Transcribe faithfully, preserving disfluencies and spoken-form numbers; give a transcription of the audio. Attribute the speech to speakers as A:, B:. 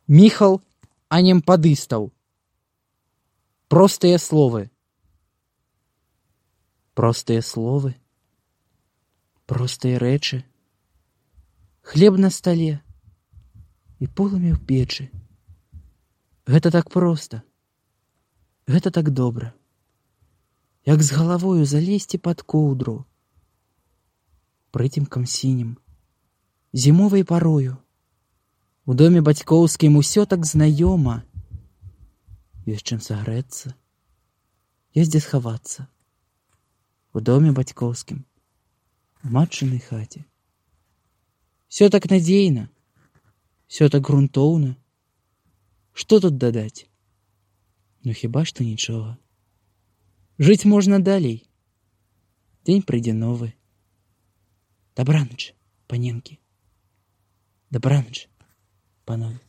A: Міхал Анемпадыстаў. Простыя словы. Простыя словы. Простыя рэчы. Хлеб на стале і полымя ў печы. Гэта так проста. Гэта так добра. Як з галавою залезці пад коўдру. Прыцемкам сінім. Зімовай парою. У доме бацькоўскім усё так знаёма. Ёсць чым сагрэцца. Ёсць дзе схавацца. У доме бацькоўскім. У матчынай хаце. Всё так надзейна. Всё так грунтоўна. Што тут дадаць? Ну хіба што нічога. Жыць можна далей. Дзень прыйдзе новы. Дабраныч, паненкі. Дабраныч, панове.